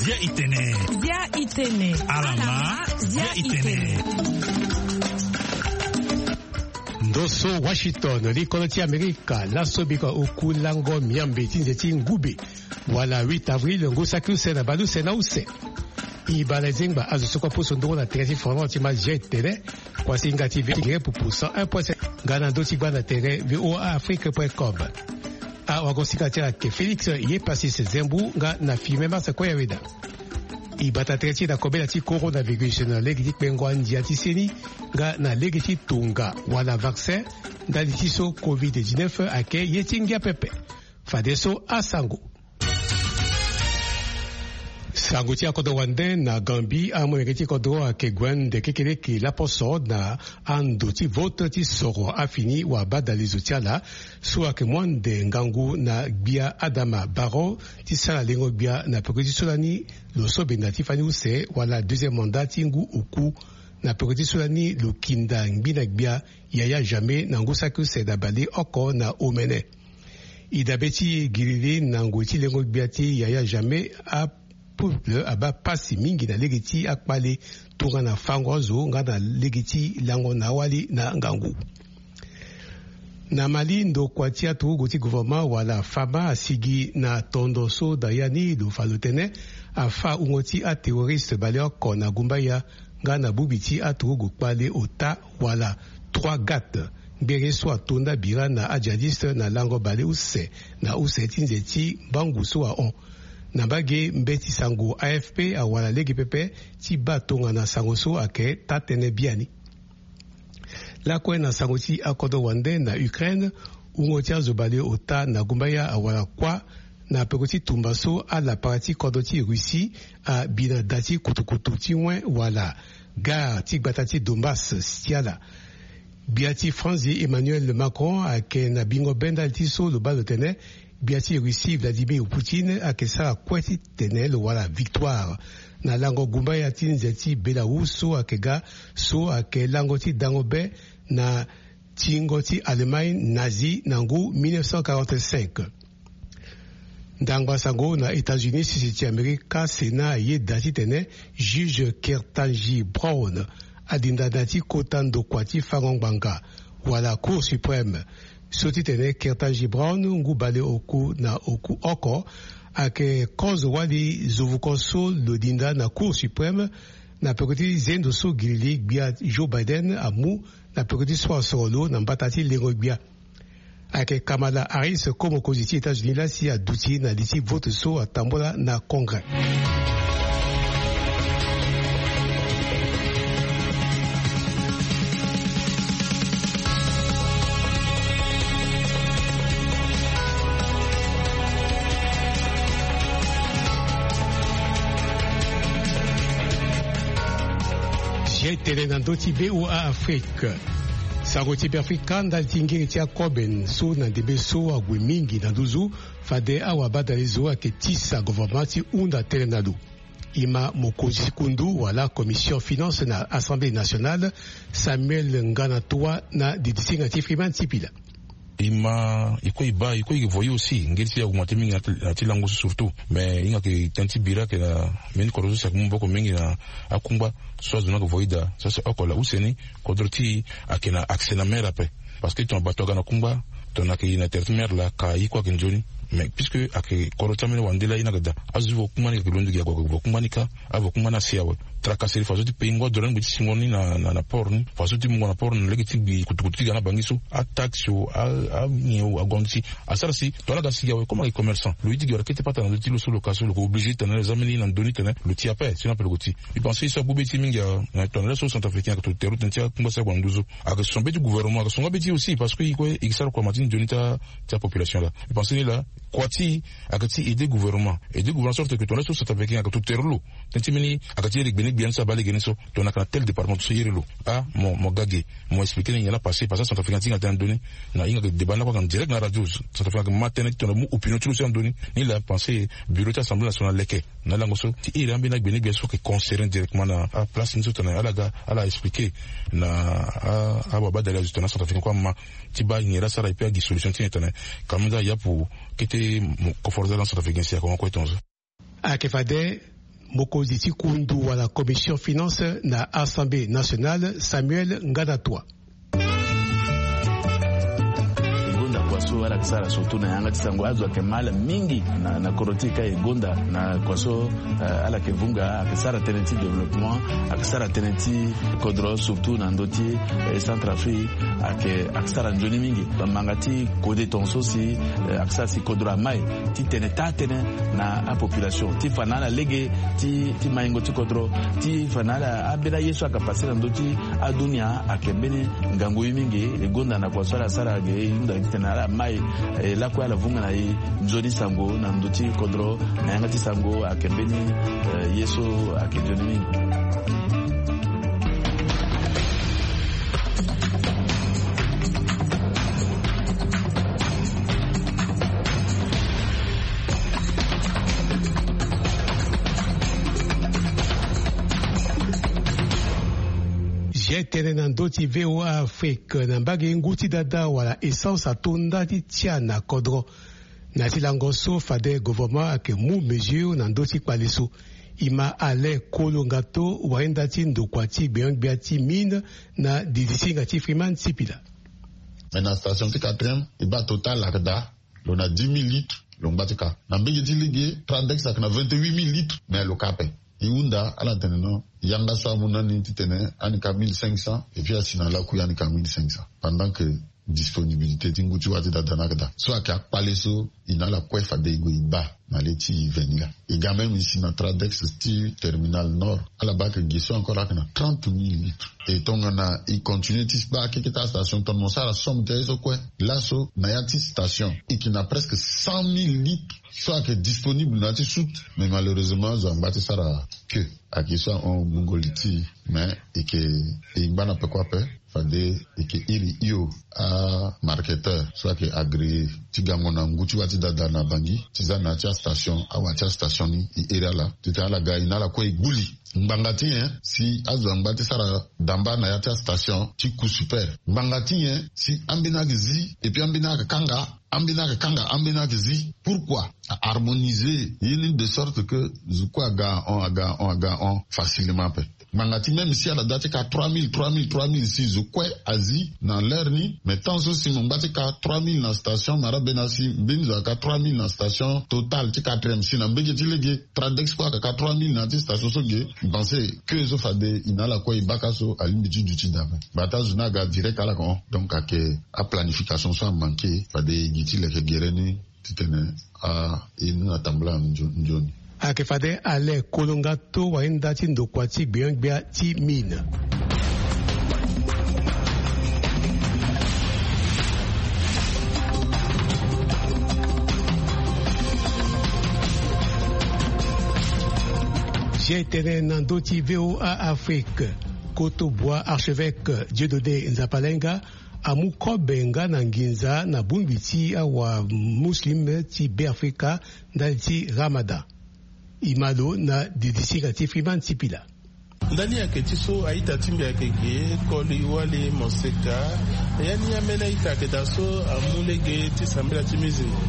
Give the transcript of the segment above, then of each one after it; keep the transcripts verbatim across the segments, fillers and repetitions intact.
Zia itene. Zia itene. Alama. Zia itene. Ndo so Washington, likolo ti Amerika, laso biko oku lango miambe ti nze ti ngube, wala huit avril, ngu saki use na bale use na use. E baa na e zengba azo so kue aposo ndongo na tere ti Finlande ti ma zia itene. Kuasinga ti ve ti gere pupu cent un point sept nga na ndö ti gba na tere V O A Afrique point com. Awagosinga ti ala ayeke Félix Yepasis Zembu nga na Firmin Massa Koyaweda. E bata tere ti e na kobela ti coronavirus na lege ti kpengo andia ti seni nga na lege ti tonga wala vaccin ndali ti so covid dix-neuf ayeke ye ti ngia pepe. Fadeso asango. Sango ti akodro wande na Gambie, amolenge ti kodro ayeke gue ande kekeleke laposo na ando ti vote ti soro afini wabadalezo ti ala so ayeke mu ande ngangu na gbia Adama Barrow ti sara lengo gbia na peko ti so lani lo so benda ti fani use wala deuxième mandat ti ngu oku na peko ti so lani lo kinda ngbi na gbia Yaya Jammeh na ngu saki use na baleoko na omene. E dabe ti e giriri na ngoi ti lengo gbia ti Yaya Jammeh, apeuple abaa pasi mingi na lege ti akpale tongana fango azo nga na lege ti lango na awali na ngangu. Na Mali, ndokua ti aturugu ti gouvernement wala fama asigi na tondo so da ya ni lo fa lo tene afa wungo ti aterroriste baleoko na gumbaya nga na bubi ti aturugu kpale ota wala trois gate, ngbere so ato nda bira na ajihadiste na lango bale use na use ti nze ti mbangu so ahon. Na mbage mbeti sango A F P awara lege pepe ti baa tongana sango so ayeke taa-tënë biani. Lakue na sango ti akodro wande na Ukraine, wungo ti azo baleota na gumbaya awara kuâ na peko ti tumba so alapara ti kodro ti Russie abi na da ti kutukutu ti wen wala gare ti gbata ti Donbass si ti ala. Gbia ti Franzi Emmanuel Macron ayeke na bingo be ndali ti so lo baa lo tene gbia ti Russie Vladimir Poutine ayeke sara kue titene lo wara victoire na lango gumbaya ti nze ti Belarus so ayeke ga, so ayeke lango ti dango be na tingo ti Allemagne nazi na ngu mille neuf cent quarante-cinq. Ndangba sango na États-Unis, sese ti Amerika, Sénat ayeda titene juge Ketanji Brown adinda na ti kota ndokua ti fango ngbanga wala Cour suprême. So titene Ketanji Brown, ngu baleoku na oku oko, ayeke kozo wali zovuko so lo dinda na Cour suprême na peko ti zendo so girili gbia Joe Biden amu na peko ti so asoro lo na mbata ti lengo gbia. Ayeke Kamala Harris, ko mokonzi ti États-Unis laa si aduti na li ti vote so atambula na Congrès. Zia tene na ndö ti V O A Afrique. Sango ti Beafrika ndali ti ngiri ti akobe so na ndembe so ague mingi na nduzu, fade awabadalezo ayeke tisa gouvernement ti hunda tënë na lo. E ma mokonzi ti kundu wala commission finance na Assemblée nationale, Samuel Ngana Toua na didisinga ti Freeman Sipila. E ma e kue e baa e kue e voye aussi ngeri ti augmente mingi na ti, na ti lango so surtout. Mais e hinga ke tënë ti bira ke na mbeni kodro so si ayeke mu maboko mingi na akungba so azo ni ayeke voye daa. So si oko laa use ni kodro ti e ayeke na accès na mer ape. Parce que tongana bato aga na kungba, tongana ayeke na tere ti mer laa ka e kue ayeke nzoni. Mais puisque ayeke kodro ti ambeni wande laa e ni ayeke daa, azo ti vo kungba ni ayeke londo gi ague ague vo kungba ni kâ, avo kungba ni asi awe. Tracasserie faso ti payingo adore ni gbe ti singo ni na, na, na port ni, faso ti mungo na port ni na lege ti gbi kutukutu ti ga na bangi so, ataxe o, a, anyen o, agongo ti asara si tongana aga sigi awe comme ayeke commerçant lo ye ti gi wala kete pata na ndö ti lo so lo ka so lo yeke obligé ti tene lo za mbeni na ndö ni tene lo ti ape sinon ape lo yeke ti. Mbi pense so agbu be ti e mingi a, na tongana laso centrafricain ayeke to tere lo tënë ti akungba si ague na nduzu. Ayeke son be ti gouvernement, ayeke son nga be ti e aussi parce que e kue e yeke sara kua ma ti nzoni ti a, ti apopulation laa. Mbi pense ni laa kua ti e ayeke ti aider gouvernement, aider gouvernement sorte que tongana laso centrafricain ayeke to tere lo tënë ti mbeni ayeke ti iri gbene Gbia ni so abaa lege ni so, tongana ake na tel département so iri lo, ah, mo mo ga ge. Mo expliquer ni nyen la passé, passé centrafricain ti hinga tënë na ndö ni. Na hinga ke débat ni lakue ake na direct na radio. Centrafricain ake ma tënë ti tongana mu opinion ti lo so na ndö ni. Ni laa pensé bureau ti assemblée nationale leke na lango so ti iri ambeni agbenegbia so ake concerné directement na aplace ni so tongana ala ga ala expliquer na ababa dali azo tongana centrafricain kue ama ti baa nyen la sara et puis agi solution ti nyen tongana kamenda yapu kete. Conforter ala na centrafricain si akongo kue tonzo. Ayeke fade mokonzi ti kundu wala commission finance na assemblée nationale, Samuel Nganatua. E gonda kua so ala yeke sara surtout na yanga ti sango azo ayeke ma ala mingi na na kodro ti e ka e gonda na kua so. Ala yeke vunga ayeke sara tënë ti développement, ayeke sara tënë ti kodro surtout na ndö ti centrafrique. Ayeke ayeke sara nzoni mingi. Bamanga ti kode tongaso si ayeke sara si kodro ama e ti tene taa tënë na apopulation ti fa na ala lege ti maingo ti kodro ti fa na ala ambeni aye so ayeke pase na ndö ti adunia ayeke mbeni ngangu ye mingi. E gonda na kua so ala sara ge e hunda gi titene ala ma e lakue ala vunga na e nzoni sango na ndö ti kodro na yanga ti sango ayeke mbeni ye so ayeke nzoni mingi. Zia tënë na ndö ti VOA Afrique na mbage ngu ti dada wala essence ato nda ti tia na kodro. Na ya ti lango so fade gouvernement ayeke mu mesure na ndö ti kpale so. E ma Alain Kolongato wainda ti ndokua ti gbenyo-gbia ti mine na didisinga ti Freeman Sipila. Mais na station ti quatrième e baa total ayeke daa. Lo na dix mille litres lo ngba ti ka na mbege ti lege Tradex ayeke na vingt-huit mille litres. Mais lo ka ape. E hunda ala tene non, yanga so amu na ni titene ani ka mille cinq cents et puis asi na lakui ani ka mille cinq cents pendant que disponibilité ti ngu ti wâ ti dada ni ayeke daa. So ayeke akpale so e na ala kue fade e gue e baa na le ti e veni laa. E ga même e si na Tradex ti terminal nord ala baa ayeke ge so encore ayeke na trente mille litres. E tongana e continue ti baa keke ti astation tongana mo sara somme ti aye so kue laso na ya ti station e yeke na presque cent mille litres so ayeke disponible na ya ti soute. Mais malheureusement azo angba ti sara que ayeke so ahon gbungo li ti e. Mais e yeke e ngba na peko ape. Fade e yeke iri hio amarketeur so ayeke agréé ti gango na ngu ti wâ ti dada na Bangui ti za na ya ti astation awa ti astation ni e iri ala titene ala ga e na ala kue e gbu li. Ngbanga ti nyen si azo angba ti sara damba na ya ti astation ti coût super? Ngbanga ti nyen si ambeni ayeke zi et puis ambeni ayeke kanga, ambeni ayeke kanga, ambeni ayeke zi? Pourquoi aharmoniser ye ni de sorte que zo kue aga ahon aga ahon aga ahon facilement ape? Ngbanga ti même si ala da ti ka trois mille trois mille trois mille si zo kue azi na l'heure ni. Mais tant so si mo ngba ti ka trois mille na station mara bena si mbeni zo aka trois mille na station Total ti quatrième si na mbege ti lege Tradex kue aka ka trois mille na ya ti station so ge. Mbi pense que so fade e na ala kue e baka so alingbi ti duti daa ape. Bata zo ni aga direct ala yeke hon. Donc ayeke aplanification so amanke fade e gi ti leke gere ni titene a e ni atambula na nzoni. Ayeke fade Alain Kolongato wainda ti ndokua ti gbenyo-gbia ti mine. Zia e tene na ndö ti VOA Afrique. Koto bua archevêque Dieudonné Nzapalenga amu kobe nga na nginza na bongbi ti awamuslim ti Beafrika ndali ti Ramadan. E ma lo na didisinga ti Freeman Sipila. Ndani ayeke ti so a-ita ti mbi ayeke ge koli wali moseka. Ya ni ambeni a-ita ayeke daa so amu lege ti sambela ti mizingo.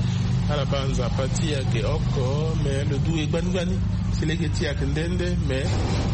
Ala baa Nzapa ti e ayeke oko me lo du e gbani gbani. Si lege ti e ayeke nde nde me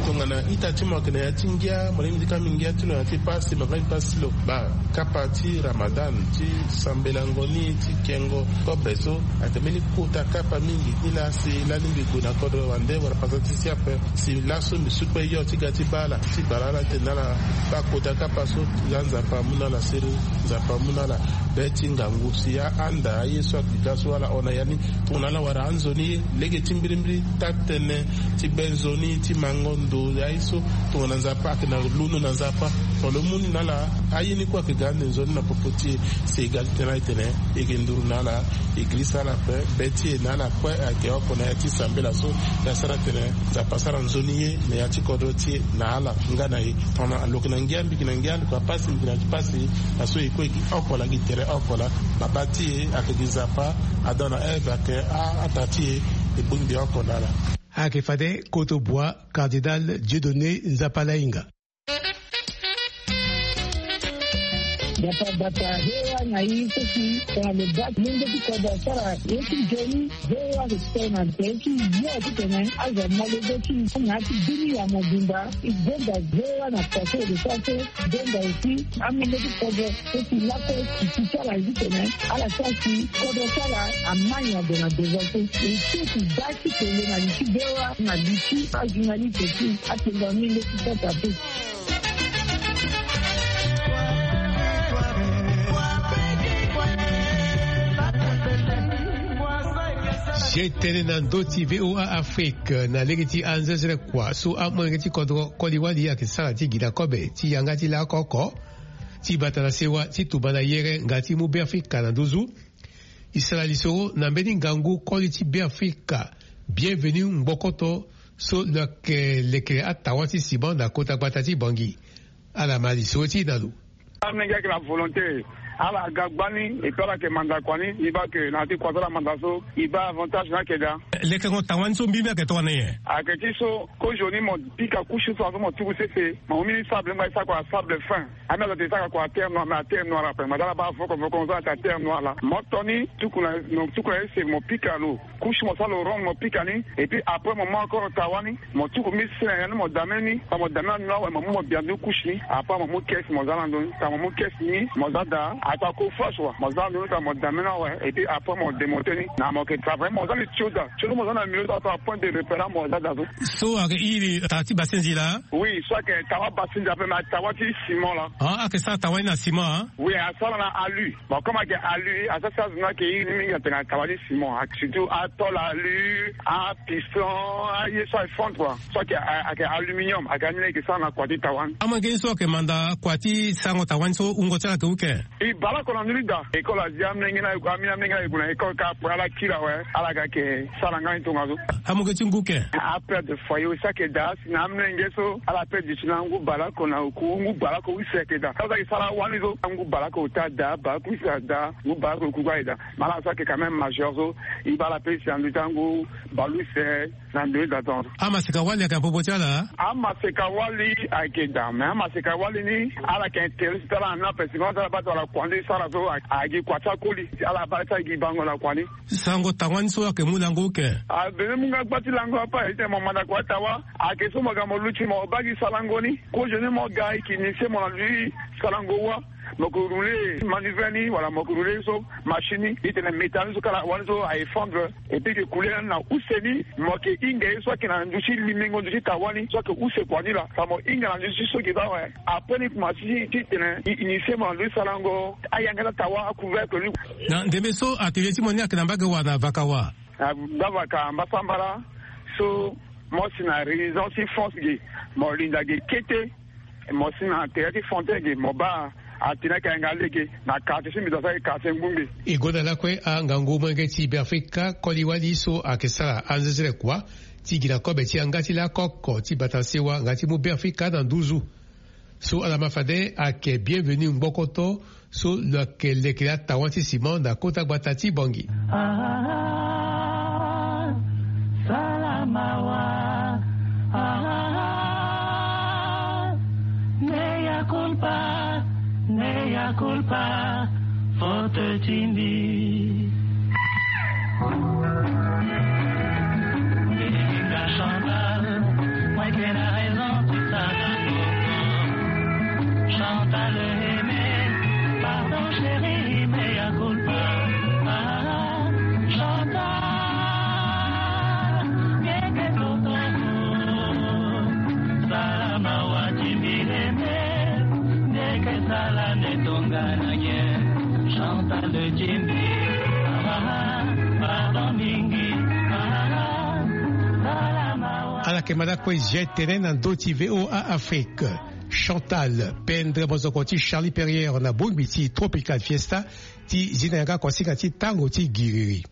tongana ita ti mo ayeke na ya ti ngia mo lingbi ti ka mbi ngia ti lo na ya ti pasi mo ka mbi pasi ti lo baa. Kapa ti Ramadan ti sambelango ni ti kengo kobe so ayeke mbeni kota kapa mingi. Ni laa si lani mbi gue na kodro wande wala pasa ti si ape si laso mbi su kue yo ti ga ti baa ala ti bara ala tene na ala baa kota kapa so. Nga Nzapa amu na ala siriri. Nzapa amu na ala be ti ngangu si a anda aye so ayeke ga so ala hon na ya ni. Tongana ala wara anzoni ye lege ti mbirimbiri taa-tënë ti be nzoni ti mango. Ndo ya ye so tongana Nzapa ayeke na londo na Nzapa. Tongana lo mu ni na ala, aye ni kue ayeke ga ande nzoni na popo ti e. Si e ga ti tënë ala ti tene e yeke nduru na ala, e girisa ala ape. Be ti e na ala kue ayeke oko na ya ti sambela so. E asara tene Nzapa asara nzoni ye na ya ti kodro ti e na ala nga na e. Tongana lo yeke na ngia, mbi yeke na ngia, lo yeke na pasi, mbi yeke na pasi. Na so e kue e gi oko laa, gi tere oko laa. Babâ ti e ayeke gi Nzapa. Adam na Ève ayeke a, ataa ti e. E bongbi oko na ala. Ayeke fade koto bua Cardinal Dieudonné Nzapalainga. Bata bata, he wa na yi so si tongana lo bâ ti lenge ti kodro asara ye ti nzoni. He wa ayeke tene na tere ti yo titene azo amolenge ti na ya ti bini ya mobimba. E gonda he wa na poto lo sara so. Gonda aussi amolenge ti kodro so si lakue ti ti ti ala titene ala sara si kodro ti ala amai na gue na devant so. E so ti bâ ti tene na li ti he wa na li ti ajournaliste ti atenda amolenge ti kodro ape. Ye tënë na ndö ti V O A Afrique na lege ti anzezere kua so amolenge ti kodro koli wali ayeke sara ti gi na kobe ti yanga ti laoko oko ti bata na sewa ti tumba na yere nga ti mu Beafrika na nduzu. E sara lisoro na mbeni ngangu koli ti Beafrika, Bienvenu Ngbokoto, so lo yeke lekere atawa ti ciment na kota gbata ti Bangui. Ala ma lisoro ti e na lo. Amolenge ayeke na volonté, ala ga gbani, et puis ala yeke manda kua ni. E baa ke na ya ti kua so ala manda so, e baa avantage ni ayeke daa. Lekerengo tawa ni so mbi mbi ayeke tongana nyen? Ayeke ti so, kozoni mo pika couche so azo mo tuku sese, mo mu mbeni sable, mo baa e sara kua sable fin. Ambi azo ate e sara kua terre noire, mais aterre noire ape, mo dala baa voko voko, mo sara ate aterre noire laa. Mo to ni tuku na, mo tuku na ese, mo pika lo. Couche mo sara lo rond, mo pika ni. Et puis après mo mu encore tawa ni, mo tuku mbeni sene na ya ni, mo dame ni. Tongana mo dame na ni awe, mo mu mo bia ndö couche ni. Après mo mu caisse, mo za na ndö ni. Tongana mo mu caisse ni, mo za daa. Ataa coffrage wa, mo za na ndö ni, tongana mo dame ni awe. Et puis après mo démonter ni. Na mo yeke travailler, mo za li tio daa. Tio so mo za na milieu so, ataa point de repère, mo za daa so. So ayeke iri taa ti basenzi laa? Oui, so ayeke tawa basenzi ape, mais tawa ti ciment laa. Ah, ayeke sara tawa ni na ciment, ah? Oui, asara na alu. Bon, comme ayeke alu, asara si azo ni ayeke iri ni mingi atene tawa ti ciment. Surtout atôle alu, apiston, aye so ayeke fondre kua. So ayeke, ayeke aluminium, ayeke ani ni ayeke sara na kua ti tawa ni. Amolenge ni so ayeke manda kua ti sarango tawa ni so, wungo ti ala ayeke houken? E bale oko na ndö ni daa. École azia amolenge ni aye, amolenge ni aye gue na école kâ, après ala kiri awe, ala ga yeke sara nga ni tongaso. Amolenge ti ngu ken? Apère de foyer aussi ayeke daa. Si na amolenge so ala père duti na ngu bale oko na oku, ngu bale oko use ayeke daa. Ala so ayeke sara awani so, ngu bale oko ota daa, bale oko use adaa, ngu bale oko oku ayeke daa. Mais ala so ayeke quand même majeur so, e baa ala père duti na ndö ti angu bale use na ndö ni daa tongaso. Amaseka wali ayeke na popo ti ala? Amaseka wali ayeke daa, mais amaseka wali ni ala yeke intéressé ti ala na ape, si mo sara baa ti ala kua ni sara so, a, ayeke gi kua ti akoli, ala baa ti ala gi bango na kua ni. Sarango tawa ni so ayeke mu lango houken? Abene mu nga gba ti lango ape, titene mo manda kua ti tawa. Ayeke so mo ga mo luti mo baa gi sarango ni. Kozoni mo ga e yeke initié mo na ndö ti sarango wa. Mo yeke rouler manivelle ni, wala mo yeke rouler so machine ni, titene métal ni so kala wani so a effondre. Et puis e yeke coulé na use ni, mo yeke hinga ye so ayeke na ndö ti limengo ndö ti tawa ni so ayeke use kua ni laa. Fa mo hinga na ndö ti so ge baa awe. Après ni kuma ti, titene e initié mo na ndö ti sarango ayanga ti atawa, acouvercle ni. Na ndembe so atelier ti mo ni ayeke na mbage wa na vaka wa? Na baa vaka mbasambala so, mo si na résidence ti France ge, mo linda ge kete, mo si na tere ti Fontaine ge, mo baa atene ayeke yanga lege na quartier ti mbi, do asara quartier ngbongbe. E gonda lakue angangu molenge ti Beafrika koli wali so ayeke sara anzezere kua ti gi na kobe ti yanga ti laoko oko ti bata sewa nga ti mu Beafrika na nduzu. So ala ma fade ayeke Bienvenu Ngbokoto, so lo yeke lekere atawa ti ciment na kota gbata ti Bangui. Ah, sala mawa. Ah, mea culpa, mea culpa, faute ti mbi. Chantal, moi qui a raison, tu t'as raison. Chantal aimé, pardon chérie, mea culpa. Ah, Chantal, nge ke toto. Sala mawa ti mbi aimé, nge ke sala nde tongana nyen. Chantal ti mbi. Ah, pardon mingi. Ah, sala mawa. Ala yeke manda kue zia tënë na ndö ti VOA Afrique. Chantal, pendre mozoko ti Charlie Perrier na bongbi ti Tropical Fiesta, ti zi na yanga kuasinga ti tango ti giriri.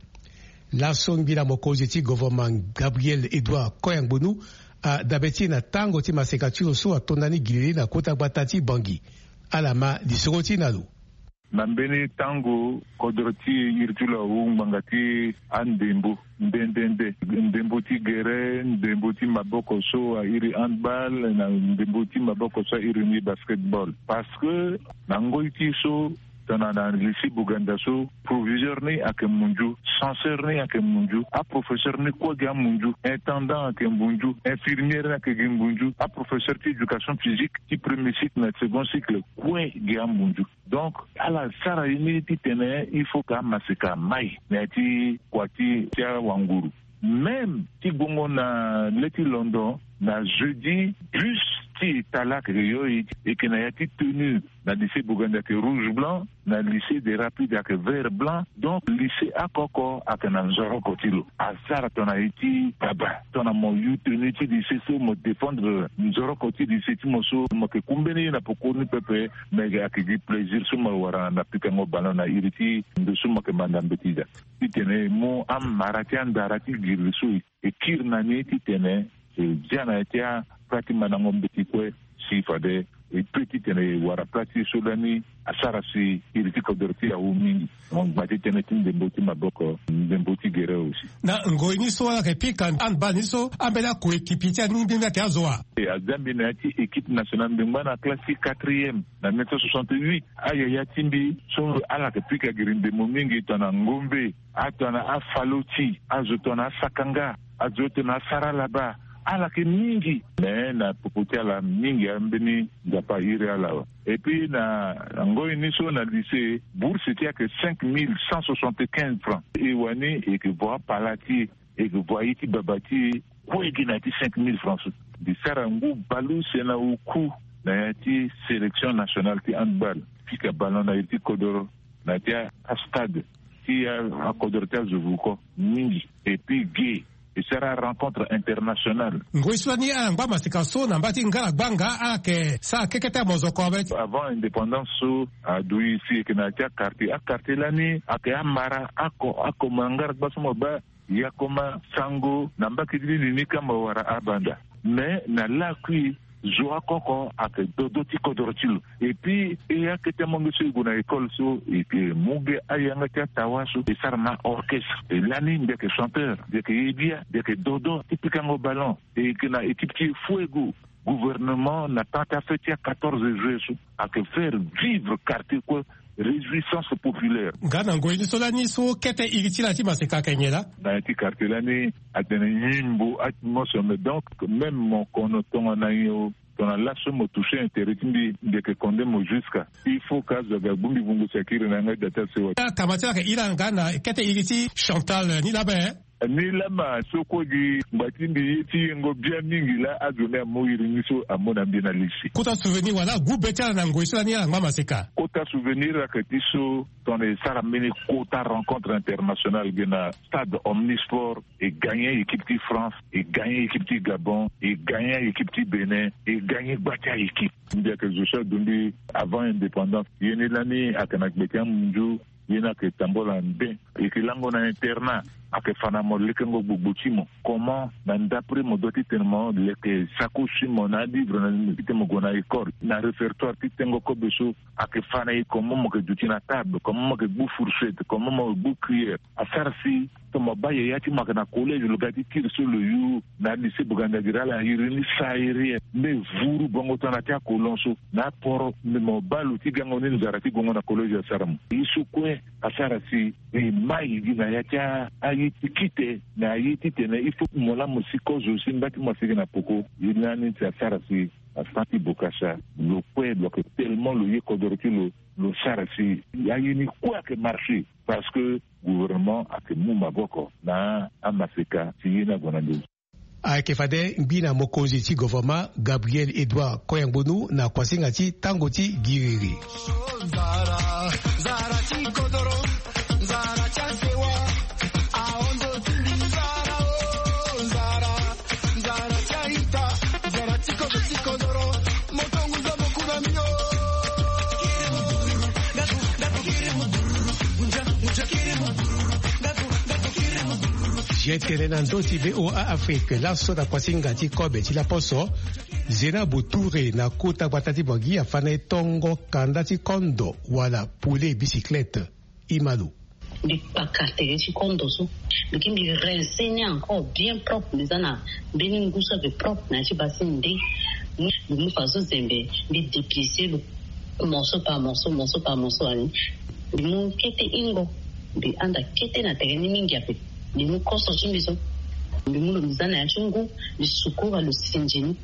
Laso ngbila mokonzi ti governement Gabriel Edouard Koya Ngbonu adabe ti e na tango ti maseka ti lo so atonda ni giriri na kota gbata ti Bangui. Ala ma lisoro ti e na lo. Na mbeni tango kodro ti iri ti lo awu ngbanga ti andembo nde nde nde, ndembo ti gere, ndembo ti maboko so airi handball, na ndembo ti maboko so airi ni basketball. Parce que na ngoi ti so tongana na lycée Boganda so, proviseur ni ayeke munzu, censeur ni ayeke munzu, aprofesseur ni kue gi amunzu, intendant ayeke munzu, infirmière ni ayeke gi munzu, aprofesseur ti éducation physique ti premier cycle na second cycle kue gi amunzu. Donc ala sara ye ni titene il faut que amaseka amai na ya ti kua ti ti awanguru. Même ti gbongo na le ti londo, na jeudi bus ti eta laa ayeke yo e, e yeke na ya ti tenue. Na lycée Boganda ayeke rouge blanc, na lycée des rapides ayeke vert blanc. Donc lycée oko oko ayeke na nzoroko ti lo. Asara tongana ye ti baba, tongana mo yu tenue ti lycée so mo défendre nzoroko ti lycée ti mo so, mo yeke ku mbeni ye na poko ni pepe. Mais ayeke gi plaisir so mo wara na pikango ballon na iri ti ndo so mo yeke manda mbeti daa. Titene e mu amara ti andara ti giri so e kiri na ni titene e zia na ya ti apla ti mandango mbeti kue. Si fade e pe titene e wara pla ti e so lani asara si iri ti kodro ti e awu mingi. Mo ngba ti tënë ti ndembo ti maboko, ndembo ti gere aussi. Na ngoi ni so ala yeke pika handball ni so, ambeni akoekipi ti ani ngbingbi ayeke azo wa? E, aza mbi na ya ti équipe nationale, mbi ngba na classe ti quatrième na mille neuf cent soixante-huit. Ayaya ti mbi so ala yeke pika giri ndembo mingi tongana ngombe, atongana afaloti, azo tongana asakanga, azo tongana asaralaba. Ala yeke mingi. Mais na popo ti ala mingi ambeni nzapa airi ala awe. Et puis na, na ngoi ni so na lycée, bourse ti e ayeke cinq mille cent soixante-quinze francs. E wani e yeke vo apala ti e, e yeke vo aye ti baba ti e kue gi na ya ti cinq mille francs so. Mbi sara ngu bale use na oku na ya ti sélection nationale ti handball, pika ballon na iri ti kodoro na ya ti astade ti akodoro ti azo vuko mingi. Et puis ge e sara rencontre internationale. Ngoi so lani ala ngba maseka so na mba ti ngara gbanga, ala yeke sara keke ti amozoko awe. Avant indépendance so, adui si e yeke na ya ti aquartier. Aquartier lani ayeke amara ako, ako ma ngara gba so mo baa, yakoma, sango, na mbaki ti lili ni kamba wara abanda. Mais na lakui zo oko oko ayeke dodo ti kodoro ti lo. Et puis e akete amonge so e gue na école so, e yeke mu ge ayanga ti atawa so, e sara na orchestre. E lani mbi yeke chanteur, mbi yeke ye bia, mbi yeke dodo ti pikango ballon. E yeke na équipe ti e fuego. Gouvernement na temps ti afête ti a quatorze juillet so ayeke faire vivre quartier kue réjouissance populaire. Nga na ngoi ni so lani so kete iri ti la ti maseka ayeke nyen laa? Na ya ti quartier lani atene nyimbo atmosphere, mais donc même mo kono tongana nyen o, tongana laso mo toucher intérêt ti mbi, mbi yeke condamner mo jusqu'à. Il faut que azo aga gbu mbi vungo si akiri na yanga ti da ti asewa. Akama ti ala ayeke iri ala nga na kete iri ti Chantal ni laa be. Ni lama so kue gi ngba ti mbi ye ti yengo bia mingi laa azo ni amu iri ni so amu na mbi na lisi. Kota souvenir wala agu be ti ala na ngoi so lani ala ngba maseka? Kota souvenir ayeke ti so tongana e sara mbeni kota rencontre internationale ge na stade Omnisport, e gagner équipe ti France, e gagner équipe ti Gabon, e gagner équipe ti Bénin, e gagner gba ti a-équipe. Mbi ayeke zo so adumbi avant indépendance. Ye ni lani ayeke na gbe ti amunzu. Ye ni ayeke tambula nden. E yeke lango na internat, ayeke fa na mo lekengo gbogbo ti mo. Comment na ndapre mo doit ti tene mo leke sacoche ti mo na alivre na titene mo gue na école, na répertoire ti tengo kobe so ayeke fa na e, comment mo yeke duti na table, comment mo yeke gbu fourchette, comment mo yeke gbu cuillère. Asara si tongana mo baa yaya ti mo ayeke na collège, lo ga ti kiri so lo yu na lycée Bogandagiri, ala iri ni sahérien. Mbe vuru bongo tongana ti akolon so na aporo, mbe mo baa lo ti gango ni nzara ti gongo na collège asara mo. Ye so kue asara si e mai gi na ya ti a, aye ti kite na aye titene il faut mo laa mo si kozo si mba ti mo asigi na poko. Ye ni lani si asara si asara ti bokasa lo kue lo yeke tellement lo ye kodoro ti lo, lo sara si aye ni kue ayeke marché. Parce que gouvernement ayeke mu maboko na amaseka si ye ni ague na ndo. Ayeke fade ngbi na mokonzi ti gouvernement Gabriel Edouard Koyangbonu na kuasinga ti tango ti giriri. Nzara, nzara ti kodoro, nzara ti asewa, ahon ndo ti mbi nzara o, nzara, nzara ti Ye tene na ndö ti VOA Afrique, laso na kuasinga ti kobe ti laposo, Zena Boutouré na kota gbata ti Bangui afa na e tongo kanda ti kondo wala poulet bicyclette. Imalo. Mbi kpaka tere ti kondo so, mbi ke mbi rince ni encore bien propre, mbi za na mbeni ngu so ake propre na ya ti basi nde. Mbi mu faso zembe, mbi déplice lo morceau par morceau, morceau par morceau ani. Mbi mu kete ingo, mbi anda kete na tere ni mingi ape. Mbi mu koso ti mbi so, mbi mu lo mbi za na ya ti ngu, mbi sukura lo sinzi ni.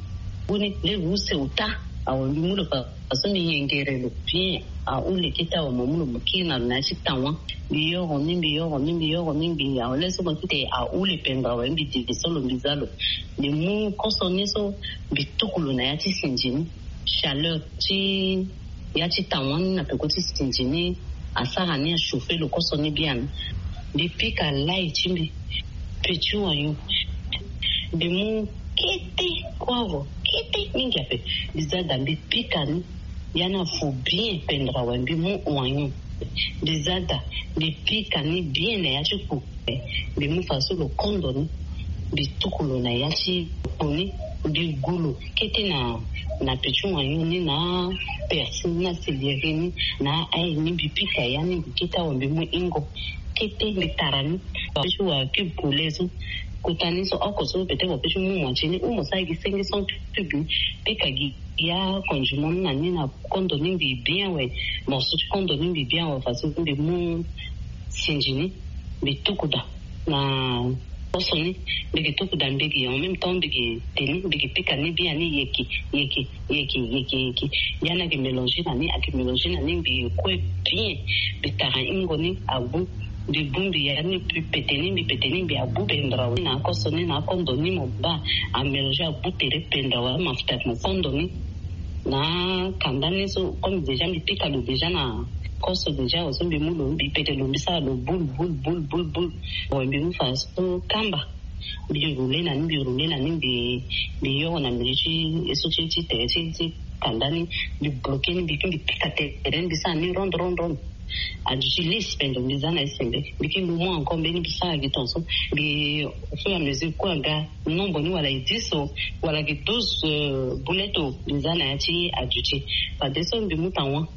Ngu ni lege use ota. Awe, mbi mu lo fa faso mbi yengere lo bien. Ahule kete awe, mo mu lo mo kiri na lo na ya ti tawa. Mbi yoro ni, mbi yoro ni, mbi yoro ni, mbi awe, le so mo kete ahule pendere awe, mbi didi so lo mbi za lo. Mbi mu koso ni so, mbi tuku lo na ya ti sinzi ni. Chaleur ti ya ti tawa ni na peko ti sinzi ni asara ni achauffer lo koso ni bien. Mbi pika lai ti mbi, petit oignon. Mbi mu kete, poivre kete mingi ape. Mbi za da mbi pika ni. Ya ni afu bien pendere awe, mbi mu oignon. Mbi za da mbi pika ni bien na ya ti kpo. Mbi mu faso lo kondo ni, mbi tuku lo na ya ti kpo ni. Mbi gu lo kete na, na petit oignon ni, na persil ni, na céleri ni, na ail ni, mbi pika ya ni. Mbi kete awe, mbi mu ingo kete, mbi tara ni. Ti wa cube poulet so, kota ni so oko so, peut-être wa pe ti mu moitié ni, ou mo sara gi cinq cents cubes ni. Pika gi ya condiment ni na ni na kondo ni mbi bien awe. Morceau ti kondo ni mbi bien awe, faso mbi mu sinzi ni, mbi tuku da na koso ni. Mbi gi tuku da, mbi gi en même temps mbi gi te ni, mbi gi pika ni bien ni, yeke, yeke, yeke, yeke, yeke. Ya ni ake mélanger na ni, ake mélanger na ni, mbi kue bien. Mbi tara ingo ni agbu. Mbi bu, mbi ya ni, mbi pete ni, mbi pete ni, mbi agbu pendere awe na koso ni, na kondo ni mo baa. Amélanger agbu tere pendere awe, amafuta mo kondo ni. Na kanda ni so, comme déjà mbi pika lo déjà na koso déjà awe so, mbi mu lo, mbi pete lo, mbi sara lo boule, boule, boule, boule, boule. Awe, mbi mu faso kamba. Mbi roule na ni, mbi roule na ni, mbi, mbi yoro na mbi ti e so ti, ti tere ti, ti kanda ni. Mbi bloquer ni, mbi ke mbi pika tere ni, mbi sara ni ronde, ronde, ronde. Aduti lisse pendere, mbi za na e sembe. Mbi ke mbi mu encore mbeni, mbi sara gi ton so. Mbi, au fur et à mesure kue aga nombre ni, wala e dix o, wala gi douze, euh, boulettes o, mbi za na ya ti aduti. Fadeso mbi mu tawa,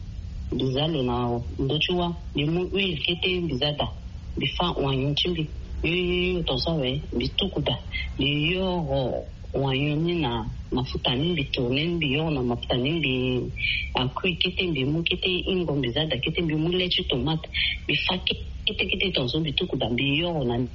mbi za lo na ndö ti wa, mbi mu huile kete, mbi za da. Mbi fa oignon ti mbi. Yo, yo, yo, yo, ton so awe, mbi tuku da. Mbi yoro oignon ni na mafuta ni, mbi tourner ni, mbi yoro na mafuta ni, mbi a cuit kete, mbi mu kete ingo, mbi za da kete, mbi mu lait ti tomate, mbi fa kete kete, ton so mbi tuku da, mbi yoro na ni,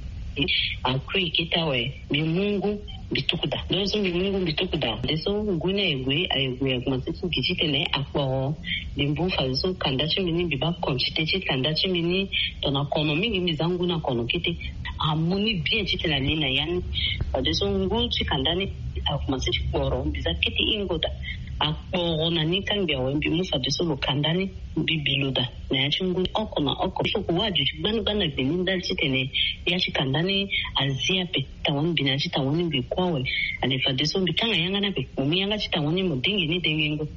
a cuit kete awe, mbi mu ngu, mbi tuku da. Donc so mbi mu ngu, mbi tuku da. Fadeso ngu ni aye gue, aye gue, akomanse ti gi titene akporo. Mbi mu fadeso kanda ti mbi ni, mbi baa quantité ti kanda ti mbi ni. Tongana kono mingi, mbi za ngu na kono kete. Amu ni bien titene ali na ya ni. Fadeso ngu ti kanda ni akomanse ti kporo, mbi za kete ingo da. Akporo na ni kangbi awe, mbi mu fadeso lo kanda ni, mbi bi lo da na ya ti ngu ni oko na oko. Il faut que wa aduti gbani gbani na gbe ni ndali titene ya ti kanda ni azi ape. Tawa ni, mbi na ya ti tawa ni, mbi kue awe. Ale fadeso mbi kanga yanga ni ape. Mo mu yanga ti tawa ni, mo dengi ni dengengo.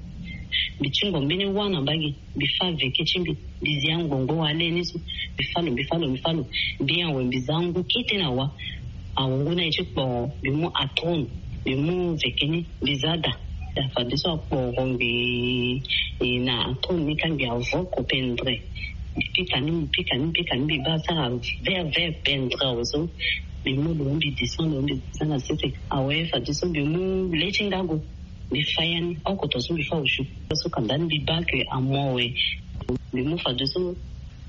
Mbi tingo mbeni wa na mbage. Mbi fa veke ti mbi, mbi zi angbongbo wa le ni so. Mbi fa lo, mbi fa lo, mbi fa lo. Mbi awe, mbi za ngu kete na wa. Awe, ngu ni aye ti kporo, mbi mu atron, mbi mu veke ni, mbi za da. Da fadeso akporo ngbii, e, na atron ni kangbi avoko pendere. Mbi pika ni, mbi pika ni, mbi pika ni, mbi baa sara vert vert pendere awe so. Mbi mu lo, mbi descend lo, mbi descend na sese. Awe, fadeso mbi mu lait ti ngago. Mbi fa ya ni oko, ton so mbi fa aussi. So kanda ni mbi baa ke amu awe. Mbi mu fadeso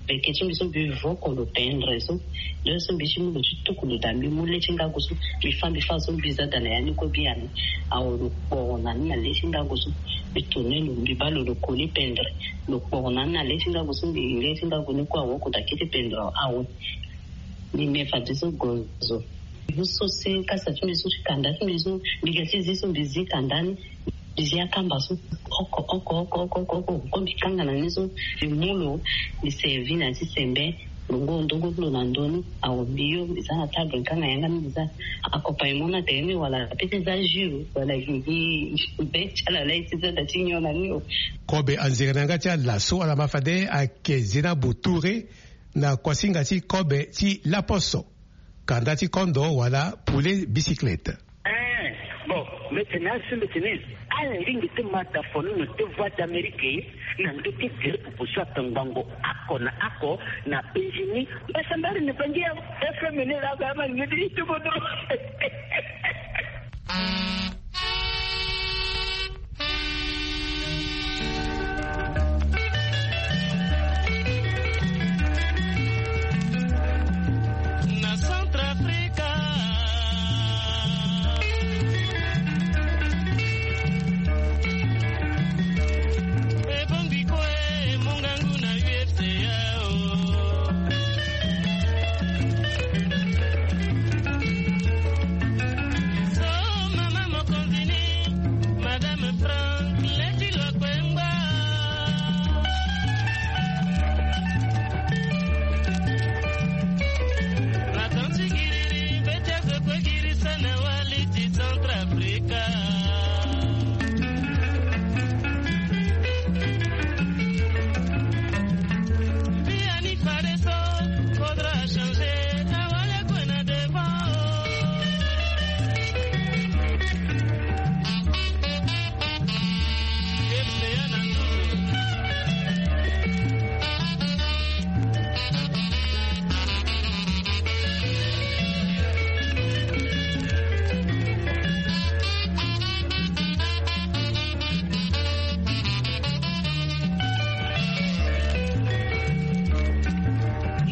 veke ti mbi so, mbi voko lo pendere so. Donc so mbi ti mu lo ti tuku lo da, mbi mu lait ti ngago so, mbi fa, mbi fa so, mbi za da na ya ni kue bien. Awe, lo kporo na ni na lait ti ngago so. Mbi tourner lo, mbi baa lo, lo coller pendere. Lo kporo na ni na lait ti ngago so, mbi lait ti ngago ni kue awoko da kete pendere awe. Mbi me fadeso gozo. Mbi mu so si kasa ti mbi so ti kanda ti mbi so, mbi ga ti zi so, mbi zi kanda ni. Mbi zi akamba so oko oko oko oko oko oko, mbi kanga na ni so. Mbi mu lo, mbi servi na ya ti sembe. Lo ngu ndongo ti lo na ndö ni. Awe, mbi yo, mbi za na table, mbi kanga yanga ni, mbi za accompagnement na tere ni, wala pe ti za jus, wala gi gi be ti ala la ye ti za da ti nyon na ni o. Kobe anzere na yanga ti ala so, ala ma fade ayeke Zena Boutouré na kuasinga ti kobe ti laposo. kanda ti kondo wala poulet bicyclette. Eh, bon, mbeti na asi mbeti ni. Ala lingbi ti mata fonono ti voie d'Amérique na ndö ti gere pupu so atongbango ako na ako na penzi ni. Mbasambari na bangi ya F M ni la ba ma ni ti tubodo. Na Centrafrica. Ebongbi kue mungangu na U F C A o. So mama mokonzi ni, Madame Franck Letty Lokwengba. Makonzi giriri, betia zo kue girisa na wali ti Centrafrica. Biani fade so, faudra changer, awale kue na devant.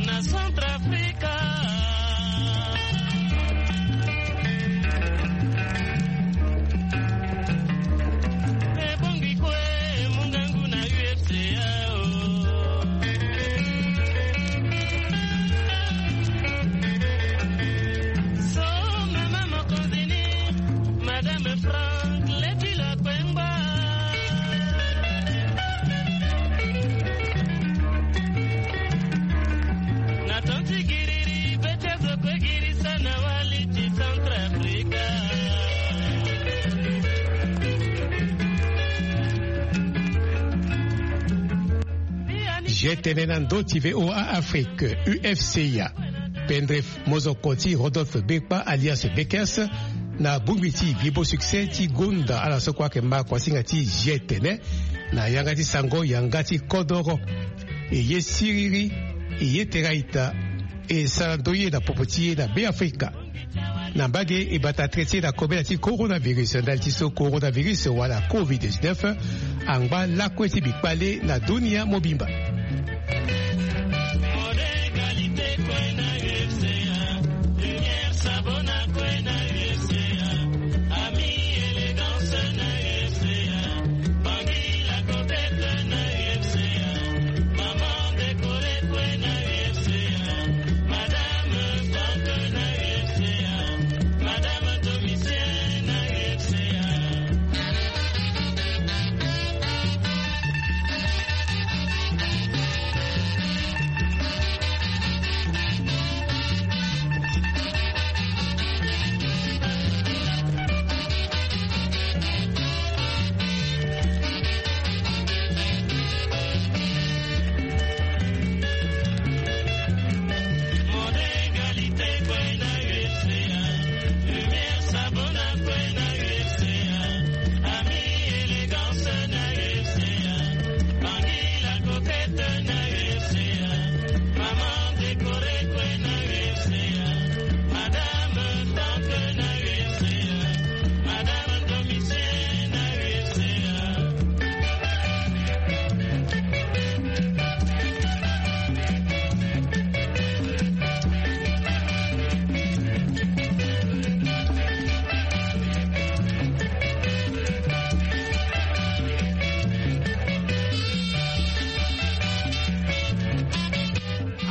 Na Centrafrica. Ebongi kue mungangu na U F C A o. So mama mokonzi ni, Madame Franck Letty Lokwengba. Na tonti giriri, betia zo kue girisa na wali ti Centrafrica. G T N na ndö ti V O A Afrique, U F C A. Pendere mozoko ti Rodolphe Bekpa alias Bekes na bongbi ti Vibo Succès ti gonda ala so kue ayeke ma kuasinga ti G T N na yanga ti sango yanga ti kodoro. E ye siriri, e ye tera ita, e sara ndoye na popo ti e na Beafrika. Na mbage e bata tere ti e na kobela ti coronavirus, ndali ti so coronavirus wala covid dix-neuf angba lakue ti bikpale na dunia mobimba.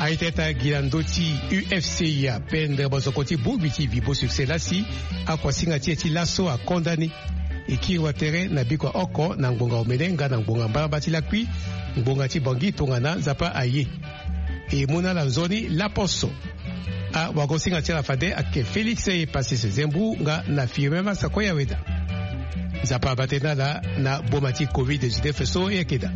Aye tene ata gi na ndö ti U F C A, pendere mozoko ti bongbi ti Vibo Succès lasi akuasinga ti e ti laso akonda ni. E kiri wa tere na biko ya oko na ngbonga omene nga na ngbonga mbalambala ti lakui, ngbonga ti Bangui tongana Nzapa aye. E mu na ala nzoni laposo. Awagosinga ti ala fade ayeke Félix Epassis Zembu nga na Firmin Massakoya Weda. Nzapa abaa tënë na ala na boma ti covid dix-neuf so e yeke daa.